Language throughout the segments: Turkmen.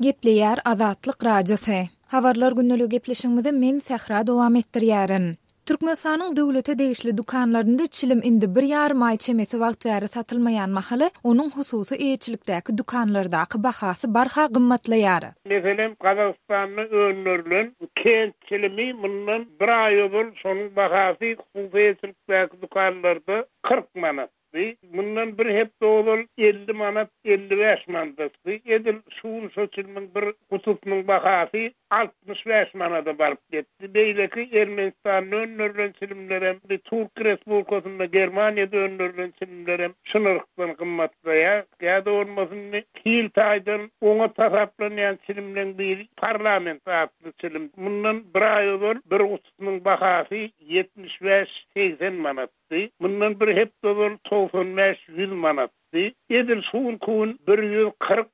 Gepleýär Azatlyk Radiosy. Habarlar gündeligi gepleşigimizi men Sähra dowam etdirýärin. Türkmenistanyň döwlete degişli dükanlarynda çilim indi bir ýarym aý çemesi wagt bäri satylmaýan mahaly, onuň hususy eýeçilikdäki dükanlardaky bahasy barha gymmatlaýar. Meselem, Gazagystanda öndürilen Kent çilimi mundan bir aý ozal şonuň bahasy hususy eýeçilikdäki dükanlarda 40 manat. Mundan bir hepde ozal 50 manat, 55 manatdy. Edil şu gün şo çilimiň bir gutusynyň bahasy 65 manada baryp ýetdi. Beýleki Ermenistanda öndürilen çilimlerem, Türk Respublikasynda, Germaniýada öndürilen çilimlerem şu nyrhdan gymmatlaýar. Ýa-da bolmasa indi hil taýdan oňat hasaplanýan çilimleň biri Parlament atly çilim. Mundan bir aý ozal bir gutusynyň bahasy 75, 80 manat. Manatdy. Mundan bir hepde ozal 95, 100 manatdy. Edil şu günki gün 140,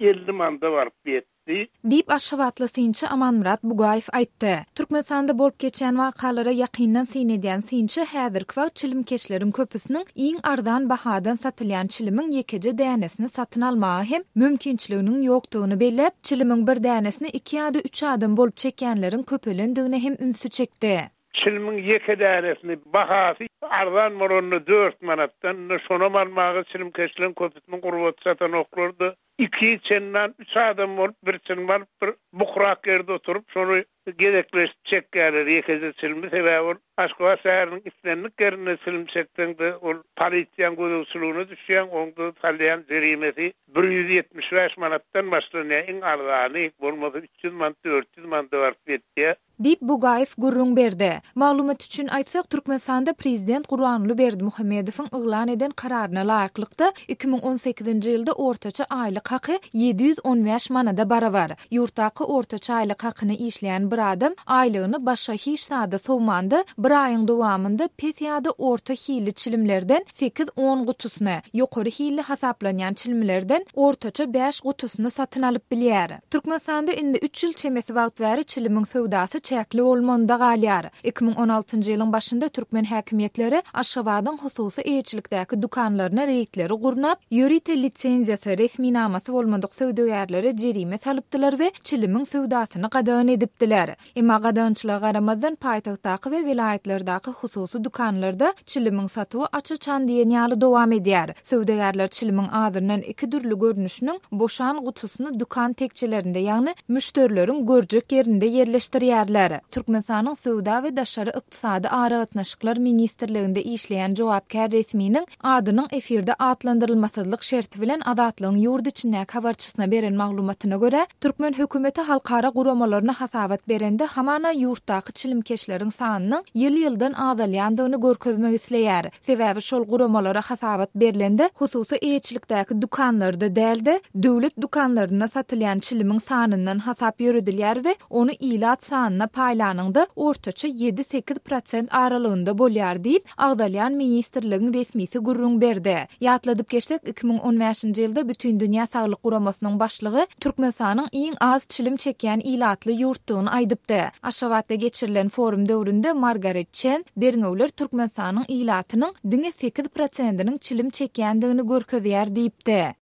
150 manada baryp ýetdi. Diýip, aşgabatly synçy Amanmyrat Bugaýew aýtdy. Türkmenistanda bolup geçýän wakalara ýakyndan syn edýän synçy häzirki wagt çilimkeşleriň köpüsiniň iň arzan bahadan satylýan çilimiň ýekeje dänesini satyn almaga hem mümkinçiliginiň ýokdugyny belläp, çilimiň bir dänesini iki ýa-da üç adam bolup çekýänleriň köpelendigine hem ünsi çekdi. Çilimiň ýeke dänesini bahasy arzan bolanda dört manatdan, indi şonam almaga çilimkeşleň köpüsiniň gurbaty çatanoklar-da, iki, çendan üç adam bolup bir çilim alyp bir bukurak ýerde oturyp şony gezekleşip çekýärler ýekeje çilimi, sebäbi ol Aşgabat şäheriniň islendik ýerinde çilim çekseň-de ol polisiýaň gözegçiligine düşýäň, oňda salýan jerimesi 175 manatdan başlanýar iň arzany, bolmasa 300 manat, 400 manada baryp ýetýär. Diýip, Bugaýew gürrüň berdi. Maglumat üçin aýtsak, Türkmenistanda prezident Gurbanguly Berdimuhamedowyň yglan eden kararyna laýyklykda, 2018-nji ýylda ortaça aýlyk haky 715 manada barabar. Ýurtdaky ortaça aýlyk hakyna işleýän bir adam aýlygyny başga hiç zada sowmanda, bir aýyň dowamynda pes ýa-da orta hilli çilimlerden sekiz-on gutusyny, ýokary hilli hasaplanýan çilimlerden ortaça bäş gutusyny satyn alyp bilýär. Türkmenistanda indi üç ýyl çemesi wagt bäri çilimiň söwdasy çäkli bolmagynda galýar. 2016-njy ýylyň başynda türkmen häkimiýetleri Aşgabadyň hususy eýeçilikdäki dükanlaryna reýdleri gurnap, ýörite lisenziýasy, resminamasy bolmadyk söwdagärlere jerime salypdylar we çilimiň söwdasyny gadagan edipdiler. Emma gadagançylyga garamazdan, paýtagtdaky we welaýatlardaky hususy dükanlarda çilimiň satuwy aç-açan diýen ýaly dowam edýär. Söwdagärler çilimiň azyndan iki dürli görnüşiniň boşan gutusyny dükan tekjelerinde, ýagny müşderileriň görjek ýerinde ýerleşdirýärler. Türkmenistanyň Söwda we daşary ykdysady aragatnaşyklar ministrliginde işleýän jogapkär resminiň adynyň efirde atlandyrylmasyzlyk şerti bilen Azatlygyň ýurt içindäki habarçysyna beren maglumatyna görä, türkmen hökümeti halkara guramalaryna hasabat berende hamana ýurtdaky çilimkeşleriň sanynyň ýyl-ýyldan azalýandygyny görkezmek isleýär. Sebäbi şol guramalara hasabat berlende hususy eýeçilikdäki dükanlarda däl-de, döwlet dükanlarynda satylýan çilimiň sanyndan hasap ýöredilýär we ony ilat sanyna paýlanyňda ortaça ýedi-sekiz prosent aralygynda bolýar diýip, agzalýan ministrligiň resmisi gürrüň berdi. Ýatladyp geçsek, 2015-nji ýylda Bütindünýä Saglyk Guramasynyň başlygy Türkmenistanyň iň az çilim çekýän ilatly ýurtdugyny aýdypdy. Aşgabatda geçirilen forum döwründe Margaret Çen, Derňewler Türkmenistanyň ilatynyň diňe sekiz prosentiniň çilim çekýändigini görkezýär diýipdi.